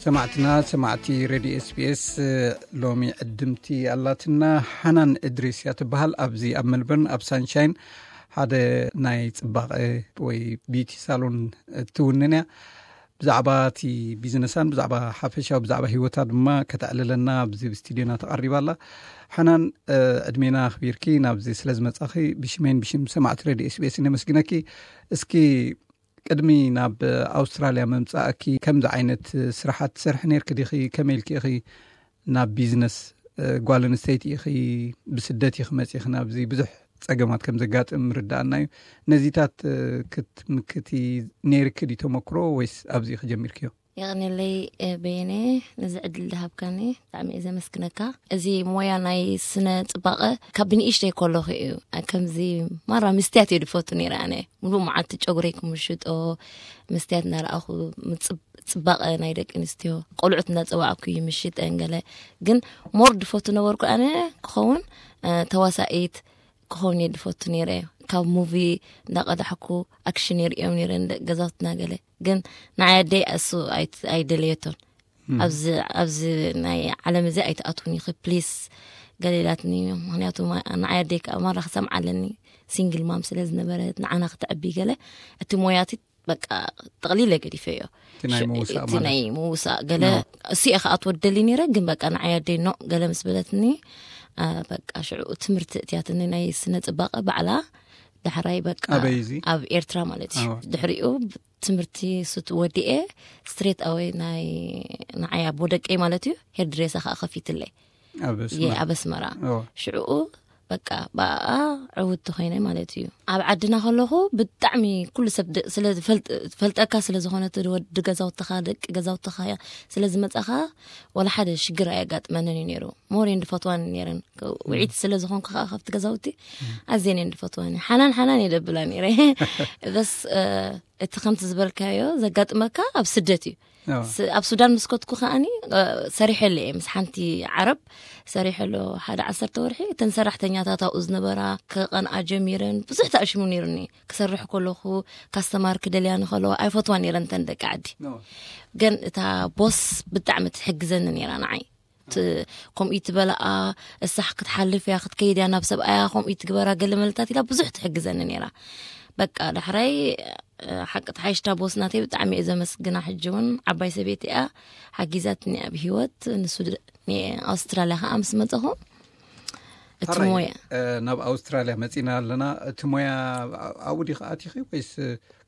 ሰማዕትና፣ ሰማዕቲ ሬድዮ ኤስቢኤስ፣ ሎሚ ዕድምቲ ኣላትና። ሓናን እድሪስ እያ ትበሃል። ኣብዚ ኣብ ሜልበርን ኣብ ሳንሻይን ሓደ ናይ ጽባቐ ወይ ቢዩቲ ሳሎን ትውንን እያ። ብዛዕባ እቲ ቢዝነሳን ብዛዕባ ሓፈሻዊ ብዛዕባ ህይወታ ድማ ከተዕልለና ኣብዚ ስቱዲዮና ተቐሪባ ኣላ። ሓናን፣ ዕድሜና ኣኽቢርኪ ናብዚ ስለ ዝመጻኺ ብሽመይን ብሽም ሰማዕቲ ሬድዮ ኤስቢኤስ ነመስግነኪ። እስኪ ቅድሚ ናብ ኣውስትራልያ ምምጻእኪ ከምዚ ዓይነት ስራሓት ትሰርሒ ነርኪ ዲኺ? ከመይ ኢልኪ ኢኺ ናብ ቢዝነስ፣ እ፣ ጓል ኣንስተይቲ ኢኺ፣ ብስደት ኢኺ መጺኺ ናብዚ ብዙሕ ጸገማት ከም ዘጋጥም ርዳኣና እዩ። ነዚታት፣ እ፣ ክትምክቲ ነይርኪ ድዩ ተመክሮ ወይስ ኣብዚ ኢኺ ጀሚርክዮ? የቐንየለይ፣ እ፣ በየነ፣ ነዚ ዕድል ዝሃብካኒ ብጣዕሚ እየ ዘመስግነካ። እዚ ሞያ ናይ ስነ ጽባቐ ካብ ብንእሽተይ ከለኹ እዩ። እ፣ ከምዚ ማራ ምስትያት እየ ድፈቱ ነይረ ኣነ። ሙሉእ መዓልቲ ጨጉረይ ክምሽጦ፣ መስትያት እናረኣኹ ምጽብ-፣ ጽባቐ ናይ ደቂ ኣንስትዮ ቆልዑት እናጸዋዕኩ ይምሽጠን ገለ። ግን ሞር ድፈቱ ነበርኩ ኣነ ክኸውን፣ እ፣ ተዋሳኢት ክኸውን እየ ድፈቱ ነይረ። ካብ ሙቪ እንዳቐዳሕኩ ኣክሽን የርእዮም ነይረ ንደቂ ገዛውትና ገለ። ግን ንዓይ ኣደይ እሱ ኣይት-፣ ኣይደለየቶን። እም። ኣብዚ፣ ኣብዚ ናይ ዓለም እዚ ኣይትኣትውን ኢኺ ፕሊስ፣ ገለ ኢላትኒ። ምኽንያቱ ማ-፣ ንዓይ ኣደይ ከዓ ማራ ክሰምዓ ኣለኒ። ሲንግል ማም ስለ ዝነበረት ንዓና ክተዕቢ ገለ። እቲ ሞያቲ በቃ ጠቕሊለ ገዲፈዮ። እቲ ናይ ሽ-፣ ምውሳእ እቲ ማለት? ናይ ምውሳእ ገለ። ኖ። እሱ እየ ከዓ ትወደሊ ነይረ፣ ግን በቃ ንዓይ ኣደይ ኖ ገለ ምስ በለትኒ፣ አ፣ በቃ ሽዑ ትምህርቲ እትያትኒ ናይ ስነ ጽባቐ ባዕላ። ዳሕራይ በቃ ኣበይ እዚ? ኣብ ኤርትራ ማለት እዩ። ኣዎ። ድሕሪኡ ትምህርቲ ስት ወዲኤ ስትሬት ኣወይ ናይ ንዓይ ኣቦ ደቀይ ማለት እዩ ሄር ድሬሳ ከዓ ከፊትለይ። ኣብ እየ ኣስመራ? ኣብ ኣስመራ። ኣዎ። ሽዕኡ በቃ ብኣኣ ዕውቲ ኮይነ ማለት እዩ። ኣብ ዓድና ከለኹ ብጣዕሚ ኩሉ ሰብ ድ-፣ ስለ ዝፈልጥ-፣ ዝፈልጠካ ስለ ዝኾነ እቲ ወዲ ገዛውትኻ፣ ደቂ ገዛውትኻ ስለ ዝመጻኻ ወላ ሓደ ሽግር ኣየጋጥመንን እዩ ነይሩ። ሞር እየን ዝፈትዋኒ ነይረን። ከ-፣ እም። ውዒት ስለ ዝኾንኩ ከዓ ካብቲ ገዛውቲ እም። ኣዝየን እየን ዝፈትዋኒ። ሓናን ሓናን እየ ደብላ ነይረ። በስ፣ እ፣ እቲ ከምቲ ዝበልካዮ ዘጋጥመካ ኣብ ስደት እዩ። ኣዎ። ስ-፣ ኣብ ሱዳን ምስ ከድኩ ከኣኒ፣ እ፣ ሰሪሐሉ እየ ምስ ሓንቲ ዓረብ ሰሪሐሉ ሓደ ዓሰርተ ወርሒ። እተን ሰራሕተኛታት ኣብኡ ዝነበራ ክቐንኣ ጀሚረን። ብዙሕ ተኣሽሙ ነይሩኒ። ክሰርሕ ከለኹ ካስተማር ክደልያ ንኸለዋ ኣይፈትዋ ነይረን እተን ደቂ ዓዲ። ኖ። ግን እታ ቦስ ብጣዕሚ ትሕግዘኒ ነይራ ንዓይ። ት-፣ ከምኡ ትበልኣ፣ እሳ ክትሓልፍ እያ፣ ክትከይድ እያ ናብ ሰብኣያ፣ ከምኡ ትግበራ፣ ገለ መለታት ኢላ ብዙሕ ትሕግዘኒ ነይራ። በቃ ዳሕራይ፣ እ፣ ሓቂ ተሓይሽታ ቦስ ናተይ ብጣዕሚ እየ ዘመስግና። ሕጂ እውን ዓባይ ሰበይቲ እያ፣ ሓጊዛትኒ ኣብ ህይወት። ንሱ ድ-፣ ንኣውስትራልያ ከዓ ምስ መፀኹ እቲ ሕራይ፣ ሞያ እ፣ ናብ ኣውስትራልያ መፂና ኣለና። እቲ ሞያ ኣብኡ ዲኺ ኣቲኺ ወይስ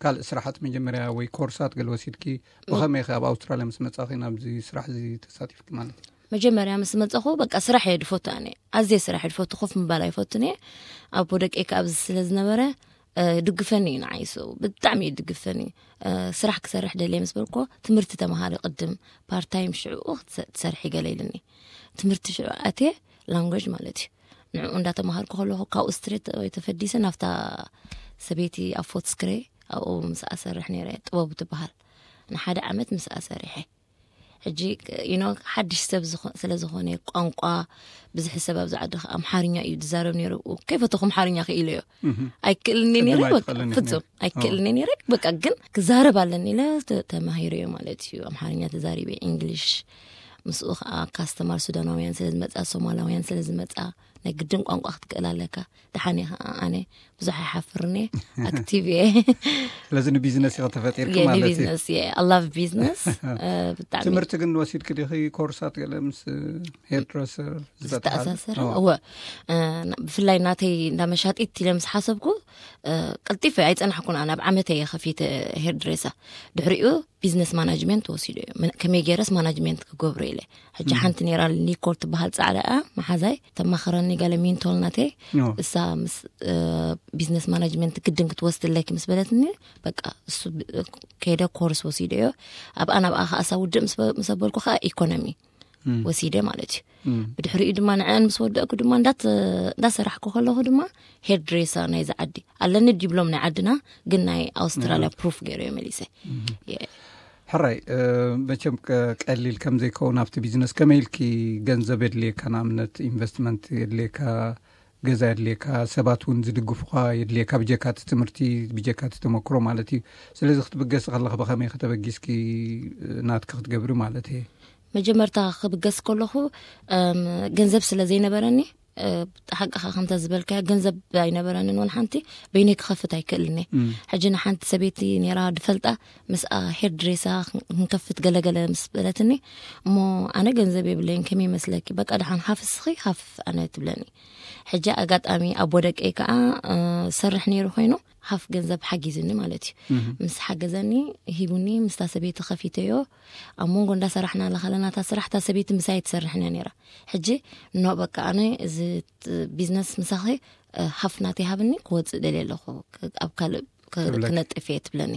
ካልእ ስራሓት መጀመርያ ወይ ኮርሳት ገለ ወሲድኪ? ብኸመይ ኢኺ ኣብ ኣውስትራልያ ምስ መጻኺ ናብዚ ስራሕ እዚ ተሳቲፍኪ ማለት እዩ? መጀመርያ ምስ መጻኹ በቃ ስራሕ እየ ድፈቱ ኣነ። ኣዝየ ስራሕ እየ ድፈቱ፣ ኮፍ ምባል ኣይፈቱን እየ። ኣቦ ደቀይ ከኣ ኣብዚ ስለ ዝነበረ፣ እ፣ ድግፈኒ እዩ ንዓይ፣ እሱ ብጣዕሚ እዩ ድግፈኒ። እ፣ ስራሕ ክሰርሕ ደልየ ምስ በልኩ፣ ትምህርቲ ተመሃሪ ቅድም፣ ፓርት ታይም ሽዕኡ ክትሰ-፣ ትሰርሒ ገለ ኢሉኒ። ትምህርቲ ሽዑ ኣትየ፣ ላንጉጅ ማለት እዩ። ንዕኡ እንዳተማሃርኩ ከለኹ፣ ካብኡ ስትሬት ወይ ተፈዲሰ ናብታ ሰበይቲ ኣብ ፎትስክሬ፣ ኣብኡ ምስኣ ሰርሕ ነይረ፣ ጥበቡ ትበሃል። ንሓደ ዓመት ምስኣ ሰሪሐ። ሕጂ፣ you know፣ ሓድሽ ሰብ ዝኾ-፣ ስለ ዝኾነ፣ ቋንቋ፣ ብዙሕ ሰብ ኣብዚ ዓዲ ኸ-፣ ኣምሓርኛ እዩ ዝዛረብ ነይሩ። ከይፈተኹ ኣምሓርኛ ክኢለዮ። እህ። ኣይክእልኒ ቅድም ነይረ፣ በቃ፣ ኣይትኽእልን ኢኺ ፍጹም ነይሩ። ኣይክእልኒ ነይረ። በቃ፣ ግን ክዛረብ ኣለኒ ኢለ ተ-፣ ተማሂረዮ ማለት እዩ። ኣምሓርኛ ተዛሪበ፣ ኢንግሊሽ። ምስኡ ኸዓ ካስተማር ሱዳናውያን ስለ ዝመጻ፣ ሶማላውያን ስለ ዝመጻ፣ ናይ ግድን ቋንቋ ክትክእል ኣለካ። ደሓን እየ ኸዓ ኣነ፣ ብዙሕ ኣይሓፍርን እየ፣ ኣክቲቭ እየ። ስለዚ ንቢዝነስ ኢኺ ተፈጢርኪ እየ፣ ማለት እዩ። ንቢዝነስ እየ። I love business። እ፣ ብጣዕሚ። ትምህርቲ ግን ወሲድኪ ዲኺ ኮርሳት ገለ ምስ ሄርድረሰር ዝተሓሓዝ? ዝተኣሳሰረ? ኣዎ። እወ። እ፣ ና-፣ ብፍላይ ናተይ እንዳ መሻጢት ኢለ ምስ ሓሰብኩ፣ እ፣ ቀልጢፈ ኣይጸናሕኩን ኣነ፣ ኣብ ዓመተይ እየ ከፊተ ሄርድሬሳ። ድሕሪኡ ቢዝነስ ማናጅመንት ወሲደ እየ። ምን-፣ ከመይ ገይረስ ማናጅመንት ክገብሮ ኢለ። ሕጂ እም። ሓንቲ ነይራ ኒኮል ትበሃል ጻዕዳ እያ፣ መሓዛይ፣ ተማኸረኒ ገለ ሚንቶል ናተይ። ኦ። እሳ ምስ፣ እ፣ ቢዝነስ ማናጅመንት ግድን ክትወስድ ኣለኪ ምስ በለትኒ፣ በቃ እሱ ብ-፣ ከይደ ኮርስ ወሲደ እዮ። ኣብኣ ናብኣ ከኣ እሳ ውድእ ምስ በ-፣ ምስ ኣበልኩ ከኣ ኢኮኖሚ እም። ወሲደ ማለት እዩ። እም። ብድሕሪኡ ድማ ንዐን ምስ ወደእኩ ድማ እንዳት-፣ እንዳሰራሕኩ ከለኹ ድማ ሄርድሬሳ ናይዚ ዓዲ ኣለኒ ዲብሎም ናይ ዓድና፣ ግን ናይ ኣውስትራልያ ኣዎ። ፕሩፍ ገይረ እየ መሊሰ። እም። የ-፣ ሕራይ፣ እ፣ መቸም ቀ-፣ ቀሊል ከም ዘይከውን ኣብቲ ቢዝነስ ከመይ ኢልኪ ገንዘብ የድልየካ? ንኣብነት ኢንቨስትመንት የድልየካ፣ ገዛ የድልየካ፣ ሰባት እውን ዝድግፉኻ የድልየካ፣ ብጀካ እቲ ትምህርቲ፣ ብጀካ እቲ ተመክሮ ማለት እዩ። ስለዚ ክትብገስ ከለኺ ብኸመይ ከተበጊስኪ ናትኪ ክትገብሪ ማለት እየ? መጀመርታ ክብገስ ከለኹ፣ እም፣ ገንዘብ ስለ ዘይነበረኒ፣ እ፣ ሓቅኻ ከምተ ዝበልካዮ ገንዘብ ኣይነበረንን፣ ወላ ሓንቲ በይነይ ክኸፍት ኣይክእልን እየ። እም። ሕጂ ንሓንቲ ሰበይቲ ነይራ ድፈልጣ፣ ምስኣ ሄር ድሬሳ ክን-፣ ክንከፍት ገለገለ ምስ በለትኒ፣ እሞ ኣነ ገንዘብ የብለይን፣ ከመይ ይመስለኪ? በቃ ደሓን ሃፍ እስኺ ሃፍ ኣነ ትብለኒ። ሕጂ ኣጋጣሚ ኣቦ ደቀይ ከኣ፣ እ፣ ሰርሕ ነይሩ ኮይኑ፣ ሃፍ ገንዘብ ሓጊዝኒ ማለት እዩ። እም። ምስ ሓገዘኒ፣ ሂቡኒ፣ ምስታ ሰበይቲ ከፊተዮ። ኣብ መንጎ እንዳሰራሕና ለኻለናታ ስራሕ፣ እታ ሰበይቲ ምሳይ ትሰርሕን እያ ነይራ። ሕጂ፣ ኖ፣ በቃ ኣነ እዚ ት-፣ ቢዝነስ ምሳኺ፣ እ፣ ሃፍ ናተይ ሃብኒ፣ ክወጽእ ደልየ ኣለኹ፣ ክ-፣ ኣብ ካልእ ክ-፣ ክብለኪ። ክነጥፍ እየ ትብለኒ።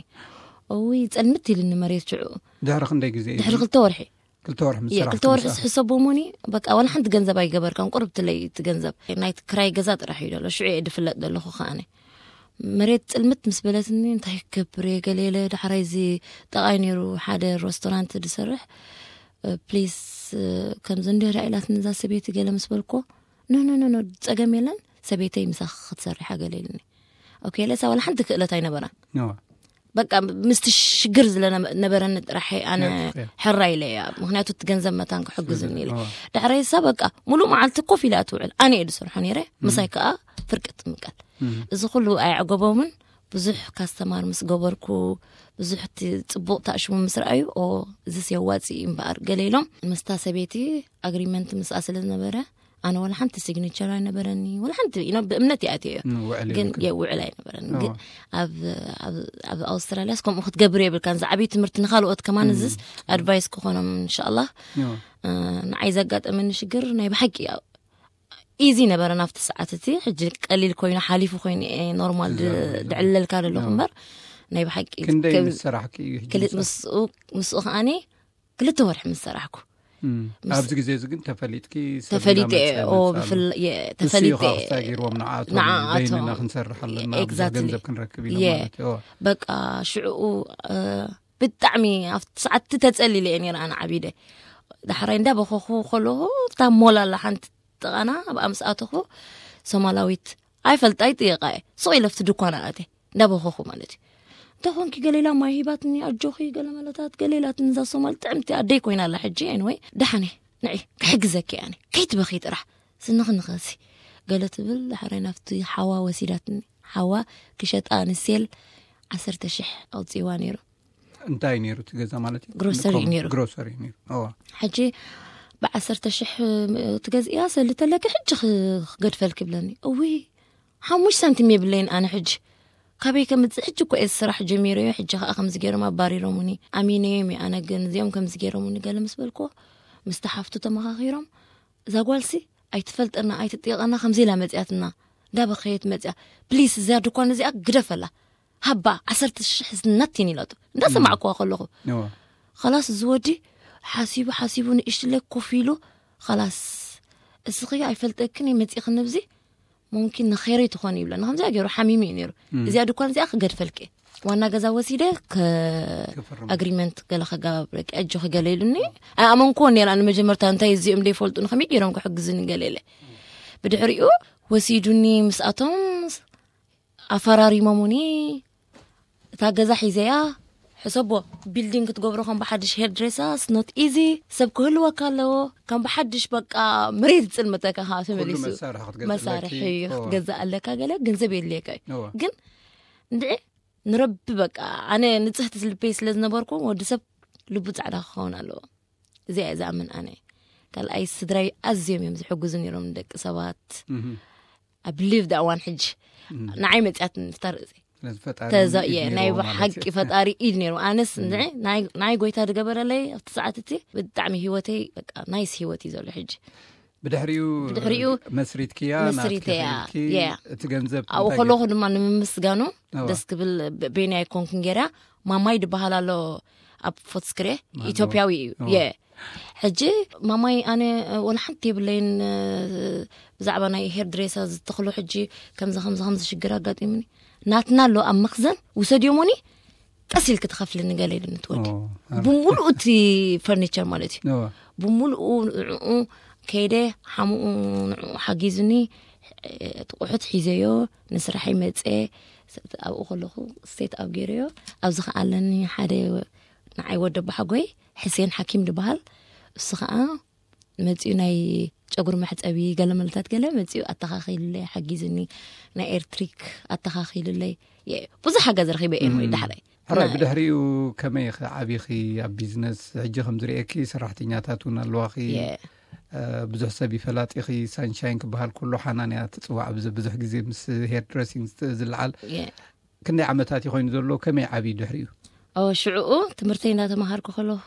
እውይ፣ ጸልምት ኢልኒ መሬት ሽዑ። ድሕሪ ክንደይ ግዜ እዩ? ድሕሪ ክልተ ወርሒ። ክልተ ወርሒ ምስ እየ፣ ሰራሕኪ ክልተ ወርሒ ምስኣ? ዝሕሰቦ እሞኒ፣ በቃ፣ ዋላ ሓንቲ ገንዘብ ኣይገበርካን፣ ቁርብ ትለይ እቲ ገንዘብ። ናይቲ ክራይ ገዛ ጥራሕ እዩ ደሎ፣ ሽዑ እየ ድፍለጥ ደለኹ ከኣነ። መሬት ጽልምት ምስ በለትኒ፣ እንታይ ክገብር እየ? ገለ ኢለ፣ ዳሕራይ እዚ ጠቓይ ነይሩ፣ ሓደ ሬስቶራንት ድሰርሕ፣ እ፣ ፕሊስ፣ እ፣ ከምዚ እንዲህ ዳ ኢላትኒ እዛ ሰበይቲ ገለ ምስ በልኮ፣ ኖ፣ ኖ፣ ኖ፣ ኖ፣ ጸገም የለን፣ ሰበይተይ ምሳኺ ክትሰርሕ እያ ገለ ኢልኒ። ኦኬ፣ ለሳ ዋላ ሓንቲ ክእለት ኣይነበራን። ኖ። በቃ ምስቲ ሽግር ዝለ ነበረኒ ጥራሕ ኣነ ነጥፍ እያ። ሕራ ኢለ እያ። ምኽንያቱ እቲ ገንዘብ መታን ክሕግዝኒ ኢለ። ኦ። ዳሕራይ እሳ በቃ ሙሉእ መዓልቲ ኮፍ ኢላ እያ ትውዕል። ኣነ እየ ዝሰርሖ ነይረ። እም። ምሳይ ከኣ ፍርቂ ትምቀል። እም። እዚ ኩሉ ኣየዕገቦምን። ብዙሕ ካስተማር ምስ ገበርኩ፣ ብዙሕ እቲ ጽቡቕ ታእሽሙ ምስ ረኣዩ፣ ኦ፣ እዚስ የዋጽእ እዩ እምበኣር፣ ገለ ኢሎም። ምስታ ሰበይቲ ኣግሪመንት ምስኣ ስለ ዝነበረ፣ ኣነ ዋላ ሓንቲ ሲግኒቸር ኣይነበረኒ፣ ዋላ ሓንቲ፣ you know፣ ብእምነት ይኣትዮ እዮ። እም፣ ውዕል ግን የብልክን። የውዕል ኣይነበረን። እዋ። ግን ኣብ፣ ኣብ፣ ኣብ ኣውስትራልያስ ከምኡ ክትገብር የብልካን። ዝዓብይ ትምህርቲ ንኻልኦት ከማን እም። እዝስ ኣድቫይስ ክኾኖም፣ ኢንሻኣላህ። እዋ። እ፣ ንዓይ ዘጋጠመኒ ሽግር ናይ ብሓቂ ኢዚ ነበረ ናብቲ ሰዓት እቲ። ሕጂ ቀሊል ኮይኑ ሓሊፉ ኮይኑ፣ እ፣ ኖርማል ድ-፣ ትዛረብ። ድዕለልካ ደለኹ እዋ። እምበር ናይ ብሓቂ ክንደይ ከም ምስ ሰራሕኪ እዩ ሕጂ ክል-፣ ምስኣ? ምስኡ፣ ምስኡ ከኣኒ ክልተ ወርሒ ምስ ሰራሕኩ። እም። ምስ ኣብዚ ግዜ እዚ ግን ተፈሊጥኪ፣ ሰብ ተፈሊጠ፣ እንዳመጸ ኦ፣ መጻሉ። ብፍል-፣ የ-፣ ንሱ እዩ ተፈሊጠ። ከዓ ክስታይ ገይርዎም ንዓኣቶም፣ ንዓኣቶም። በይንና ክንሰርሕ ኣለና፣ ብዙሕ ኤግዛክትሊ። ገንዘብ ክንረክብ ኢሎም የ-፣ ማለት እዩ። ኦ። በቃ ሽዕኡ፣ እ፣ ብጣዕሚ ኣብቲ ሰዓት ተጸሊለ እየ ነይረ ኣነ ዓቢደ። ዳሕራይ እንዳበኸኹ ከለኹ፣ እታ ሞል ኣላ ሓንቲ ጥቓና፣ ኣብኣ ምስ ኣተኹ፣ ሶማላዊት ኣይፈልጣ ይጥየቃ እየ። ስቕ ኢለ ኣብቲ ድኳና ኣትየ፣ እንዳበኸኹ ማለት እዩ። እንታይ ኮንኪ? ገለ ኢላ ማይ ሂባትኒ፣ ኣጆኺ፣ ገለ መለታት፣ ገለ ኢላትኒ። እዛ ሶማል ጥዕምቲ ኣደይ ኮይና ኣላ ሕጂ። ኤኒወይ፣ ደሓን እየ፣ ንዒ፣ ክሕግዘኪ እየ ኣነ። ከይትበኺ ጥራሕ፣ ስንኽንኸሲ፣ ገለ ትብል። ዳሕራይ ናብቲ ሓዋ ወሲዳትኒ። ሓዋ ክሸጣ ንሴል ዓሰርተ ሽሕ ኣውጺእዋ ነይሩ። እንታይ ነይሩ እቲ ገዛ ማለት እዩ? ግሮሰሪ ንኮም-፣ ነይሩ። ግሮሰሪ ነይሩ። እዋ። ሕጂ ብዓሰርተ ሽሕ ትገዝእያ፣ ሰሊ ተለኪ ሕጂ ክ-፣ ክገድፈልኪ ብለኒ። እውይ፣ ሓሙሽተ ሳንቲም የብለይን ኣነ ሕጂ። ካበይ ከምጽእ? ሕጂ እኮ እየ ስራሕ ጀሚረዮ፣ ሕጂ ከኣ ከምዚ ገይሮም ኣባሪሮምኒ። ኣሚነዮም እየ ኣነ፣ ግን እዚኦም ከምዚ ገይሮምኒ ገለ ምስ በልክዎ፣ ምስቲ ሓፍቱ ተመኻኺሮም፣ እዛ ጓልሲ ኣይትፈልጠና፣ ኣይትጥየቐና፣ ከምዚ ኢላ መጽያትና፣ እንዳበኸየት መጽያ። ፕሊስ፣ እዛ ድኳን እዚኣ ግደፈላ። ሃባ፣ ዓሰርተ ሽሕ ናቲን ኢላቶ። እንዳሰማዕኩዋ ከለኹ። እዋ። ኸላስ፣ እዚ ወዲ ሓሲቡ፣ ሓሲቡ፣ ንእሽትለ ኮፍ ኢሉ፣ ኸላስ፣ እስኺ ኣይፈልጠክን እየ፣ መጺእኽኒ ኣብዚ፣ ሙምኪን ንኸይረይ ትኾኒ ይብለኒ። ከምዚኣ ገይሩ ሓሚሙ እዩ ነይሩ። እም። እዚኣ ድኳን እዚኣ ክገድፈልኪ እየ። ዋና ገዛ ወሲደ ከ-፣ ክፍርም። ኣግሪመንት ገለ ከጋባብረኪ፣ ኣጆኺ ገለ ኢሉኒ። ኣይኣመንኩዎን ነይረ፣ ንመጀመርታ እንታይ እዚኦም ዘይፈልጡኒ ከመይ ገይሮም ክሕግዙኒ ገለ ኢለ። ብድሕሪኡ ወሲዱኒ ምስኣቶም ኣፈራሪሞሙኒ። እታ ገዛ ሒዘያ፣ ሕሰቦ፣ ቢልዲንግ ክትገብሮ ከም ብሓድሽ፣ ሄር ድሬሳ፣ it's not easy፣ ሰብ ክህልወካ ኣለዎ። ከም ብሓድሽ በቃ መሬት ዝጽልመተካ ከኣ ኩሉ ተመሊሱ። መሳርሒ ክትገዝእለኪ። መሳርሒ እዎ። ክትገዝእ ኣለካ፣ ገለ ገንዘብ የድልየካ እዩ። እዎ። ግን እንድዒ ንረቢ በቃ፣ ኣነ ንጽህቲ ልበይ ስለ ዝነበርኩ፣ ወዲ ሰብ ልቡ ጻዕዳ ክኸውን ኣለዎ። እዚኣ እየ ዝኣምን ኣነ። ካልኣይ ስድራይ ኣዝዮም እዮም ዝሕግዙ ነይሮም ንደቂ ሰባት። እህ። I believe that one ሕጂ። እም። ንዓይ መጽያት ንፍታር እዚ። ስለዚ ፈጣሪ ተዛ-፣ እውን ኢድ እየ፣ ናይ ነይርዎ ማለት ብሓቂ እዩ። ፈጣሪ ኢድ ነይሩ። ኣነስ እም። ንዒ-፣ ናይ፣ ናይ ጎይታ ዝገበረለይ ኣብቲ ሰዓት እቲ ብጣዕሚ ህይወተይ በቃ ናይስ ህይወት እዩ ዘሎ ሕጂ። ብድሕሪኡ ብድሕሪኡ መስሪትክያ፣ ናትኪ መስሪተያ፣ ከፊልኪ፣ yeah። እቲ ገንዘብ ኣብኡ እንታይ ከለኹ ገይርኪ? ድማ ንምምስጋኑ እዋ። ደስ ክብል በ-፣ በይነይ ኣይኮንኩን ገይራ፣ ማማይ ዝበሃል ኣሎ ኣብ ፎትስክሬ፣ ማን ኢትዮጵያዊ እዩ። እዋ። የ-፣ ሕጂ ማማይ ኣነ ወላ ሓንቲ የብለይን፣ ብዛዕባ ናይ ሄር ድሬሳ ዝተኽሎ ሕጂ ከምዚ፣ ከምዚ፣ ከምዚ ሽግር ኣጋጢሙኒ። ናትና ኣሎ ኣብ መኽዘን፣ ውሰድዮ እሞኒ ቀስ ኢልኪ ትኸፍልኒ ገለ ኢሉኒ እቲ ወዲ። ኦ፣ ኣረ። ብምሉኡ እቲ ፈርኒቸር ማለት እዩ። እዋ። ብምሉኡ ንዕኡ ከይደ ሓሙኡ ንዕኡ ሓጊዙኒ። እቲ ቁሑት ሒዘዮ ንስራሐይ መፀ ኣብኡ ከለኹ ሴት ኣብ ገይረዮ። ኣብዚ ከዓ ኣለኒ ሓደ ንዓይ ወደ ባሓጎይ ሕሴን ሓኪም ዝበሃል፣ እሱ ከዓ መፂኡ ናይ ጨጉሪ መሕፀቢ ገለመለታት ገለ መፂኡ ኣተኻኺሉለይ ሓጊዝኒ፣ ናይ ኤርትሪክ ኣተኻኺሉለይ። ብዙሕ ሓገዝ ረኺበ እየ ወይ ዳሕራይ ሕራይ። ብድሕሪኡ ከመይ ኢኺ ዓቢኺ ኣብ ቢዝነስ? ሕጂ ከም ዝርእየኪ ሰራሕተኛታት እውን ኣለዋኺ። ብዙሕ ሰብ ይፈላጢኺ። ሳንሻይን ክበሃል ኩሉ ሓናንያ ትፅዋዕ ብዙሕ ግዜ ምስ ሄር ድረሲንግ ዝለዓል ክንደይ ዓመታት እዩ ኮይኑ ዘሎ? ከመይ ዓብዩ ድሕሪኡ? ሽዕኡ ትምህርተይ እናተምሃርኩ ከለኹ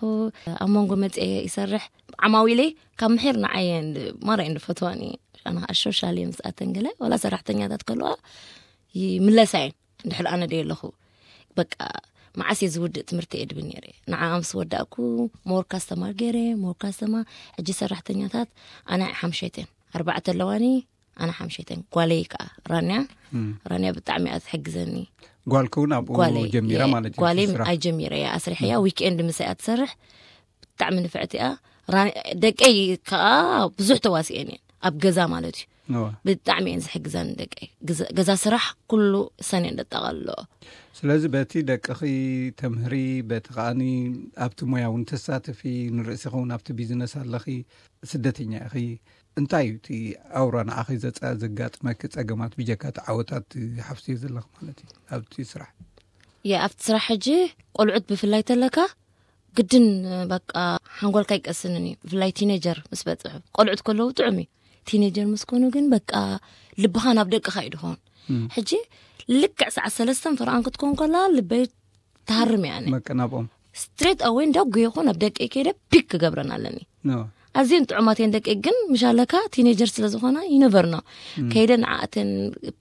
ኣብ መንጎ መፅአ ይሰርሕ። ዓማዊለይ ካብ ምሒር ንዓየ ማራ እንድፈትዋኒ ኣነ ከዓ ሾሻል እየ ምስኣተን ገለ ዋላ ሰራሕተኛታት ከለዋ ይምለሳ እየን። እንድሕር ኣነ ደየ ኣለኹ በቃ መዓስ እየ ዝውድእ ትምህርቲ እየ ድብል ነይረ። ንዓ ምስ ወዳእኩ ሞር ካስተማር ገይረ ሞር ካስተማር። ሕጂ ሰራሕተኛታት ኣነ ሓምሸይተን ኣርባዕተ ኣለዋኒ። ኣነ ሓምሸይተን ጓለይ ከዓ ራንያ ራንያ ብጣዕሚ እያ ትሕግዘኒ። ጓልኪ እውን ኣብኡ ጓለይ ጀሚራ ማለት እዩ ጓለይ ስራሕ? ኣጀሚረ እያ ኣስሪሐያ። ዊክኤንድ ምሳይ እያ ትሰርሕ። ብጣዕሚ ንፍዕቲ እያ። ራን- ደቀይ ከዓ ብዙሕ ተዋሲኤን እየን ኣብ ገዛ ማለት እዩ። እዋ። ብጣዕሚ እየን ዝሕግዘን ደቀይ። ግዘ- ገዛ ስራሕ ኩሉ እሰን እየን ደጠቃልለኦ። ስለዚ በቲ ደቅኺ ተምህሪ፣ በቲ ከዓኒ ኣብቲ ሞያ እውን ተሳተፊ፣ ንርእሲ ኸውን ኣብቲ ቢዝነስ ኣለኺ፣ ስደተኛ ኢኺ። እንታይ እዩ እቲ ኣውራ ንዓኺ ዘጻ- ዘጋጥመኪ ጸገማት ብጀካ እቲ ዓወታት ትሓፍስዮ ዘለኺ ማለት እዩ ኣብቲ ስራሕ? የ ኣብቲ ስራሕ ሕጂ ቆልዑት ብፍላይ ተለካ ግድን በቃ ሓንጎልካ ይቀስንን እዩ። ብፍላይ ቲኔጀር ምስ በጽሑ ቆልዑት ከለዉ ጥዑም እዩ። ቲኔጀር ምስ ኮኑ ግን በቃ ልብኻ ናብ ደቅኻ እዩ ድኾን። ሕጂ ልክዕ ሰዓት ሰለስተን ፈርቓን ክትኮን ከላ ልበይ ትሃርም እያ። ኣነ በቃ ናብኦም ስትሬት ኣወይ እንዳ ጉየኹ ናብ ደቀይ ከይደ ፒክ ክገብረን ኣለኒ። ኖ። ኣዝየን ጥዑማት እየን ደቀይ ግን ምሻለካ ቲኔጀር ስለ ዝኾና ይነበርኖ ከይደ ንዓኣተን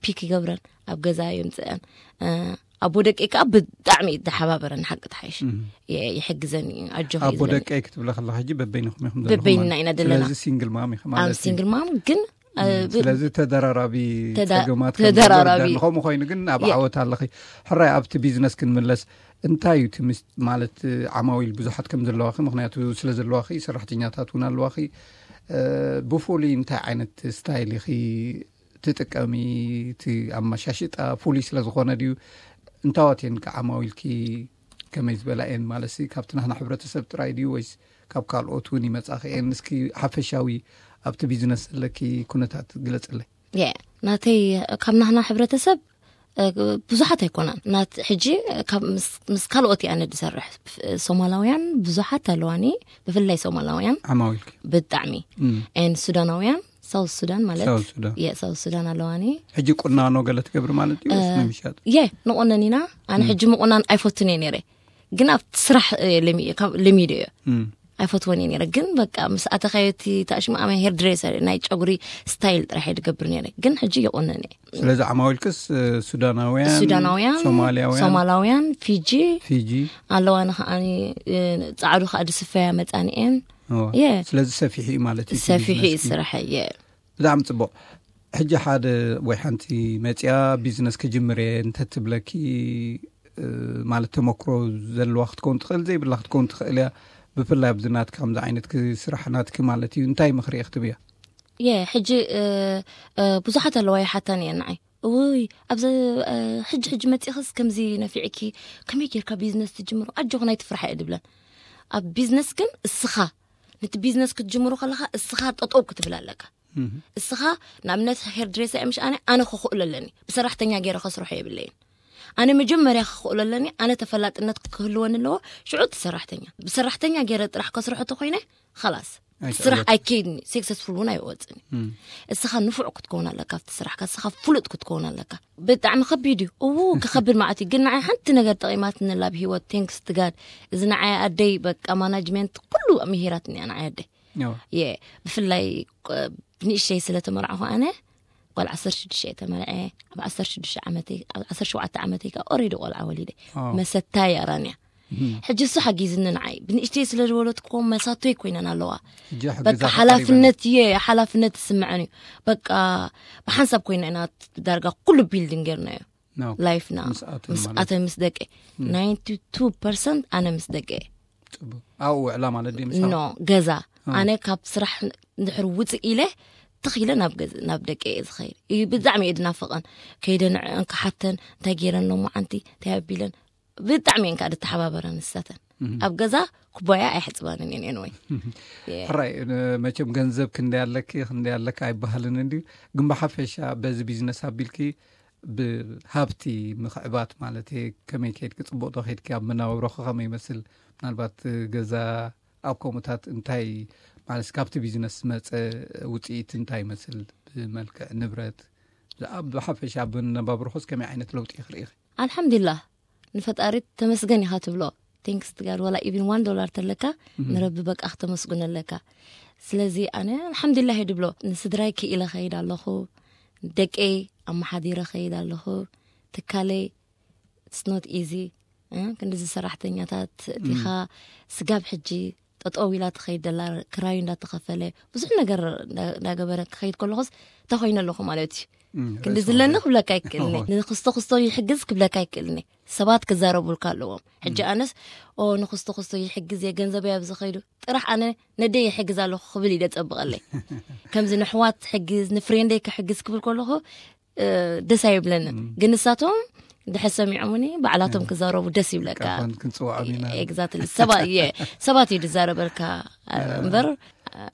ፒክ ይገብረን ኣብ ገዛ የምፅአን። ኣቦ ደቀይ ከዓ ብጣዕሚ እዩ ተሓባበረን ሓቂ ተሓይሽ። የ- ይሕግዘን እዩ ኣጆኺ እዩ ኣቦ ዝበለኒ። ደቀይ ክትብለ ከለካ ሕጂ በበይንኹም ኢኹም ዘለኹም በበይንና ማለት ኢና እዩ። ዘለና። ስለዚ ሲንግል ማም ኢኺ ኣብ ማለት እዩ። ሲንግል ማም ግን እ፣ ብ- ስለዚ ተደራራቢ ተዳ- ጸገማት ከም ተደራራቢ። ዘሎ ከምኡ ኮይኑ ግን ኣብ የ- ዓወት ኣለኺ። ሕራይ ኣብቲ ቢዝነስ ክንምለስ። እንታይ እዩ እቲ ምስ- ማለት ዓማዊል ብዙሓት ከም ዘለዋኺ ምክንያቱ ስለ ዘለዋኺ ሰራሕተኛታት እውን ኣለዋኺ። እ፣ ብፍሉይ እንታይ ዓይነት ስታይል ኢኺ ትጥቀሚ? እቲ ኣመሻሽጣ ፍሉይ ስለ ዝኾነ ድዩ? እንታዋት እየን ከ ዓማዊልኪ ከመይ ዝበላ እየን ማለት ሲ ካብቲ ናህና ሕብረተሰብ ጥራይ ድዩ ወይስ ካብ ካልኦት እውን ይመጻኺ እየን? እስኪ ሓፈሻዊ ኣብቲ ቢዝነስ ዘለኪ ኩነታት ግለጽለይ። የ ናተይ ካብ ናህና ሕብረተሰብ እ፣ ብዙሓት ኣይኮናን ናት ሕጂ ካብ ምስ- ምስ ካልኦት እየ ኣነ ዝሰርሕ። ሶማላውያን ብዙሓት ኣለዋኒ ብፍላይ ሶማላውያን ዓማዊልኪ ብጣዕሚ ን ሱዳናውያን ሳውት ሱዳን ማለት ሳውት ሱዳን። የሳውት ሱዳን ኣለዋኒ። ሕጂ ቁናኖ ገለ ትገብሪ ማለት እዩ ወይስ ንምሻጥ? የ ንቆነን ኢና። ኣነ ሕጂ ምቁናን ኣይፈቱን እየ ነይረ ግን ኣብቲ ስራሕ እ፣ ለሚ- ካብ- ለሚዶ እየ። ኣይፈትወን እየ ነይረ ግን በቃ ምስ ኣተኻዮ እቲ ታሽማኣመ ሄር ድሬሰር ናይ ጨጉሪ ስታይል ጥራሕ እየ ዝገብር ነይረ ግን ሕጂ ይቆነን እየ። ስለዚ ዓማዊልክስ እ፣ ሱዳናውያን ሱዳናውያን ሶማሊያውያን ሶማላውያን ፊጂ ፊጂ ኣለዋ ንከዓኒ እ፣ ጻዕዱ ከዓ ድስፈያ መጻንኤን እዋ። የ ስለዚ ሰፊሑ እዩ ማለት እዩ እቲ ሰፊሑ እዩ ቢዝነስኪ። ስራሕ እየ። ብጣዕሚ ጽቡቕ። ሕጂ ሓደ ወይ ሓንቲ መጽያ ቢዝነስ ክጅምር እየ እንተትብለኪ እ፣ ማለት ተመክሮ ዘለዋ ክትከውን ትኽእል ዘይብላ ክትከውን ትኽእል እያ። ብፍላይ ኣብዚ ናትኪ ከምዚ ዓይነት ክ- ስራሕ ናትኪ ማለት እዩ እንታይ ምኽሪ እየ ክትብያ? የ ሕጂ እ፣ እ፣ ብዙሓት ኣለዋ ይሓታን እየ ንዓይ እውይ ኣብዚ እ፣ ሕጂ ሕጂ መፂእኽስ ከምዚ ነፊዕኪ ከመይ ጌርካ ቢዝነስ ትጅምሮ ኣጆኹ ናይ ትፍራሕ እየ ድብለን። ኣብ ቢዝነስ ግን እስኻ ነቲ ቢዝነስ ክትጅምሮ ከለኻ እስኻ ጠጠው ክትብል ኣለካ። እስኻ ንኣብነት ሄር ድሬሰ እየ ምሽ ኣነ ኣነ ክኽእሎ ኣለኒ ብሰራሕተኛ ገይረ ከስርሖ የብለይን። ኣነ መጀመርያ ክኽእሎ ኣለኒ ኣነ ተፈላጥነት ክህልወኒ ኣለዎ። ሽዑ እቲ ሰራሕተኛ ብሰራሕተኛ ገይረ ጥራሕ ከስርሖ ተኮይነ ኸላስ ስራሕ ኣይከይድኒ ሴክሰስፉል እውን ኣይወፅኒ። እስኻ ንፉዕ ክትከውን ኣለካ ኣብቲ ስራሕካ እስኻ ፍሉጥ ክትከውን ኣለካ። ብጣዕሚ ከቢድ እዩ እው ክኸብድ ማለት እዩ ግን ንዓይ ሓንቲ ነገር ጠቂማትኒ ላብ ሂወት ቴንክስ ትጋድ። እዚ ንዓይ ኣደይ በቃ ማናጅመንት ኩሉ ምሂራትኒ እያ ንዓይ ኣደይ። የ ብፍላይ እ፣ ብንእሽተይ ስለ ተመርዓኹ ኣነ ጓል ዓሰርተ ሽዱሽተ እየ ተመርዐ። ኣብ ዓሰርተ ሽዱሽተ ዓመተይ ኣብ ዓሰርተ ሸውዓተ ዓመተይ ከዓ ኦሬዲ ቆልዓ ወሊደ። መሰታይ ኣራንያ ሕጂ እሱ ሓጊዝኒ ንዓይ ብንእሽተይ ስለ ዝወለድኩዎ መሳቶይ ኮይነን ኣለዋ። ሕጂ በቃ ሓግዛ ሓላፍነት እየ ሓላፍነት ዝስምዐን እዩ። በቃ ብሓንሳብ ኮይና ኢና ዳርጋ ኩሉ ቢልዲንግ ጌርናዮ። ላይፍና ምስ ኣተን ምስ ማለት ኣተን ምስ ደቂ ናይንቲ ቱ ፐርሰንት ኣነ ምስ ደቂ እየ። ጽቡቅ ኣብኡ ውዕላ ማለት ድዩ ምሳኻ? ኖ ገዛ ኣነ ካብ ስራሕ እንድሕር ውፅእ ኢለ ትኽ ኢለ ናብ ገዝ ናብ ደቂ እየ ዝኸይድ እዩ። ብጣዕሚ እየ ድናፍቐን። ከይደ ንዕአን ክሓተን፣ እንታይ ገይረን ሎማዓንቲ እንታይ ኣቢለን። ብጣዕሚ እየን ከዓ ድተሓባበራ ንሳተን። ኣብ ገዛ ኩባያ ኣይሕፅባንን እየን። ኤንወይ ሕራይ፣ መቸም ገንዘብ ክንደይ ኣለኪ ክንደይ ኣለካ ኣይበሃልን እንድዩ። ግን ብሓፈሻ በዚ ቢዝነስ ኣቢልኪ ብሃብቲ ምኽዕባት ማለት እየ፣ ከመይ ከይድኪ፣ ፅቡቕ ዶ ከይድኪ፣ ኣብ መናባብሮኺ ከመይ ይመስል? ምናልባት ገዛ ኣብ ከምኡታት እንታይ ማለት፣ ካብቲ ቢዝነስ ዝመፀ ውፅኢት እንታይ ይመስል? ብመልክዕ ንብረት፣ ብሓፈሻ ኣብ መነባብሮኽስ ከመይ ዓይነት ለውጢ ክርኢ? ኣልሓምዱሊላህ፣ ንፈጣሪ ተመስገን ኢኻ ትብሎ። ቴንክስ ትጋድ ዋላ ኢቪን ዋን ዶላር ተለካ፣ ንረቢ በቃ ክተመስግኖ ኣለካ። ስለዚ ኣነ ኣልሓምዱሊላህ እየ ድብሎ። ንስድራይ ክኢለ ኸይድ ኣለኹ፣ ደቀይ ኣመሓዲረ ኸይድ ኣለኹ፣ ትካለይ it's not easy። ክንድዚ ሰራሕተኛታት እቲኻ ስጋብ ሕጂ ጠጠው ኢላ ትኸይድ ደላ፣ ክራዩ እንዳተኸፈለ፣ ብዙሕ ነገር እንዳገበረ ክኸይድ ከለኹስ እንታይ ኮይነ ኣለኹ ማለት እዩ። ክንዲ ዝለኒ ክብለካ ይክእልኒ፣ ንክስቶ ክስቶ ይሕግዝ ክብለካ ይክእልኒ። ሰባት ክዛረቡልካ ኣለዎም። ሕጂ ኣነስ ኦ ንክስቶ ክስቶ ይሕግዝ እየ፣ ገንዘበይ ኣብዚ ኸይዱ፣ ጥራሕ ኣነ ነደይ ይሕግዝ ኣለኹ ክብል ይደጸብቐለይ። ከምዚ ንሕዋት ሕግዝ፣ ንፍሬንደይ ክሕግዝ ክብል ከለኹ ደስ ኣይብለንን። ግን ንሳቶም ድሕር ሰሚዖምኒ ባዕላቶም ክዛረቡ ደስ ይብለካ። ክንፅውዖም ኢና። ኤግዛክትሊ። ሰባት እየ ሰባት እዩ ዝዛረበልካ እምበር።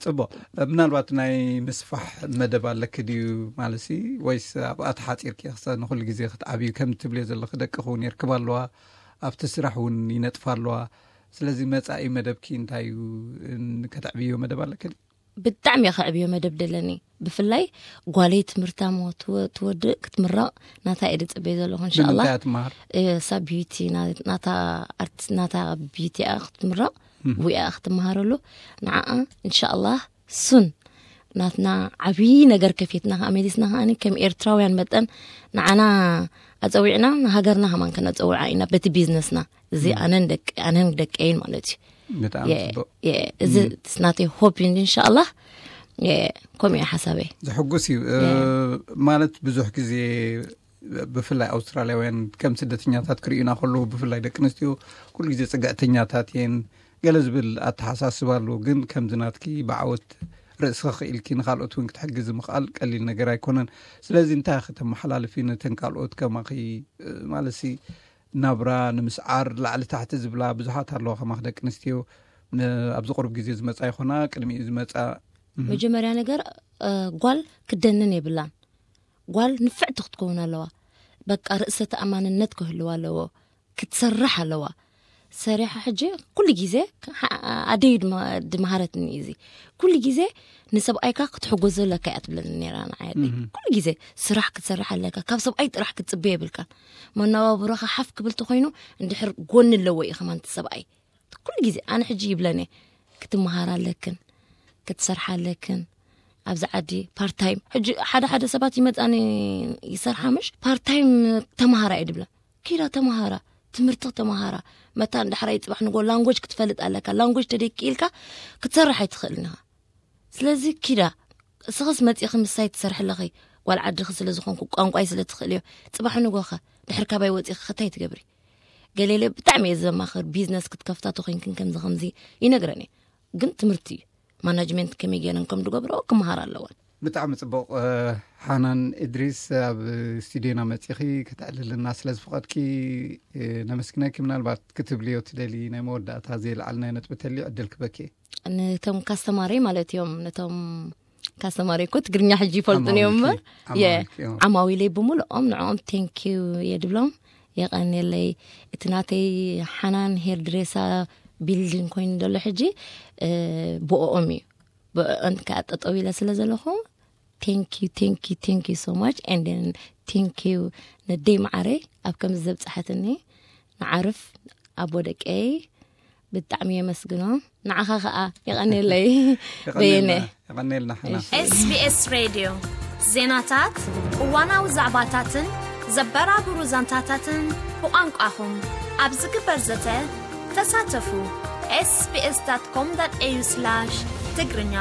ፅቡቅ። ምናልባት ናይ ምስፋሕ መደብ ኣለኪ ድዩ ማለት ሲ፣ ወይስ ኣብኣ ተሓፂርኪ ክሰ ንኩሉ ግዜ ክትዓብዩ ከም ትብልዮ ዘለኺ ደቂ ክውን የርክባ ኣለዋ፣ ኣብቲ ስራሕ እውን ይነጥፋ ኣለዋ። ስለዚ መፃኢ መደብኪ እንታይ እዩ? ከተዕብዮ መደብ ኣለኪ ድዩ? ብጣዕሚ እየ ከዕብዮ መደብ ደለኒ። ብፍላይ ጓለይ ትምህርታ ሞ ትወ- ትወድእ ክትምረቕ ናታ እየ ድፅበይ ዘለኹ እንሻላ። ብምንታይ እያ ትመሃር? እሳ ቢዩቲ ና- ናታ ኣርቲስት ናታ ቢዩቲ እያ ክትምረቕ፣ ብኡ እያ ክትመሃረሉ። ንዓኣ እንሻላ ሱን ናትና ዓብዪ ነገር ከፊትና ከኣ መሊስና ከኣ ከም ኤርትራውያን መጠን ንዓና ኣፀዊዕና ንሃገርና ከማን ከነፀውዓ ኢና በቲ ቢዝነስና። እዚ ኣነን ደቂ ኣነን ደቀይን ማለት እዩ። ብጣዕሚ ጽቡቅ። እዚ ናተይ ሆፕ እንሻላ። ከምኡ ሓሳበይ። ዝሕጉስ እዩ። ማለት ብዙሕ ግዜ ብፍላይ ኣውስትራልያውያን ከም ስደተኛታት ክርእዩና ከለዉ፣ ብፍላይ ደቂ ኣንስትዮ ኩሉ ግዜ ጽግዕተኛታት እየን ገለ ዝብል ኣተሓሳስባ ኣለዎ። ግን ከምዚ ናትኪ ብዓወት ርእስኺ ክኢልኪ ንኻልኦት እውን ክትሕግዚ ምኽኣል ቀሊል ነገር ኣይኮነን። ስለዚ እንታይ ኢኺ ተመሓላልፊ ነተን ካልኦት ከማኺ ማለት ናብራ ንምስዓር ላዕሊ ታሕቲ ዝብላ ብዙሓት ኣለዋ ከማኽ ደቂ ኣንስትዮ ኣብዚ ቁሩብ ግዜ ዝመፃ ይኾና ቅድሚኡ ዝመፃ። መጀመርያ ነገር ጓል ክደንን የብላን። ጓል ንፍዕቲ ክትከውን ኣለዋ። በቃ ርእሰ ተኣማንነት ክህልዋ ኣለዎ። ክትሰርሕ ኣለዋ። ሰሪሓ ሕጂ ኩሉ ግዜ ኣደይ ድመሃረትኒ እዚ ኩሉ ግዜ ንሰብኣይካ ክትሕጎዞ ኣለካ እያ ትብለኒ ነራ ንዓይ ኣደይ። ኩሉ ግዜ ስራሕ ክትሰርሕ ኣለካ፣ ካብ ሰብኣይ ጥራሕ ክትፅበ የብልካን። መነባብሮኻ ሓፍ ክብል ተኮይኑ እንድሕር ጎኒ ኣለዎ እዩ ከማን እቲ ሰብኣይ። ኩሉ ግዜ ኣነ ሕጂ ይብለኒ ክትመሃር ኣለክን ክትሰርሓ ኣለክን ኣብዚ ዓዲ ፓርታይም። ሕጂ ሓደ ሓደ ሰባት ይመፃኒ ይሰርሓ ምሽ ፓርታይም ተመሃራ እየ ድብላ። ኪዳ ተመሃራ ትምህርቲ ተመሃራ መታ እንድሕራይ ፅባሕ ንጎ ላንጎጅ ክትፈልጥ ኣለካ። ላንጎጅ ተደይክኢልካ ክትሰርሕ ኣይትኽእልን ኢኻ። ስለዚ ኪዳ እስኽስ መፂእኺ ምሳይ ትሰርሒ ኣለኺ። ጓል ዓድኺ ስለ ዝኾንኩ ቋንቋይ ስለ ትኽእልዮ ፅባሕ ንጎኸ ድሕር ካባይ ወፂእኺ ከታይ ትገብሪ? ገሌለ ብጣዕሚ እየ ዘማኽር ቢዝነስ ክትከፍታ ተኮይንክን ከምዚ ከምዚ ይነግረን እየ። ግን ትምህርቲ እዩ ማናጅመንት ከመይ ገይረን ከም ዝገብረኦ ክመሃር ኣለወን። ብጣዕሚ ጽቡቕ። ሓናን እድሪስ ኣብ ስቱዲዮና መጺኺ ከተዕልልና ስለ ዝፈቐድኪ ነመስግነኪ። ምናልባት ክትብልዮ ትደሊ ናይ መወዳእታ ዘይለዓልናዮ ነጥቢ ተልዩ ዕድል ክበኪ። ነቶም ካስተማሪ ማለት እዮም ነቶም ካስተማሪ እኮ ትግርኛ ሕጂ ይፈልጡን እዮም እምበር ዓማዊለይ ብምልኦም ንዕኦም ቴንኪዩ እየ ድብሎም። የቐንየለይ። እቲ ናተይ ሓናን ሄር ድሬሳ ቢልዲንግ ኮይኑ ዘሎ ሕጂ ብኦኦም እዩ። ብኦን ከዓ ጠጠው ኢለ ስለ ዘለኹ thank you thank you thank you so much and then thank you ነደይ መዓረይ ኣብ ከምዚ ዘብፅሐትኒ ንዓርፍ ኣቦ ደቀይ ብጣዕሚ የመስግኖ። ንዓኻ ከዓ የቐንየለይ በየነ። የቐንየልና ሓና። SBS ሬድዮ ዜናታት፣ እዋናዊ ዛዕባታትን ዘበራብሩ ዛንታታትን ብቋንቋኹም ኣብ ዝግበር ዘተ ተሳተፉ። sbs.com.au/ትግርኛ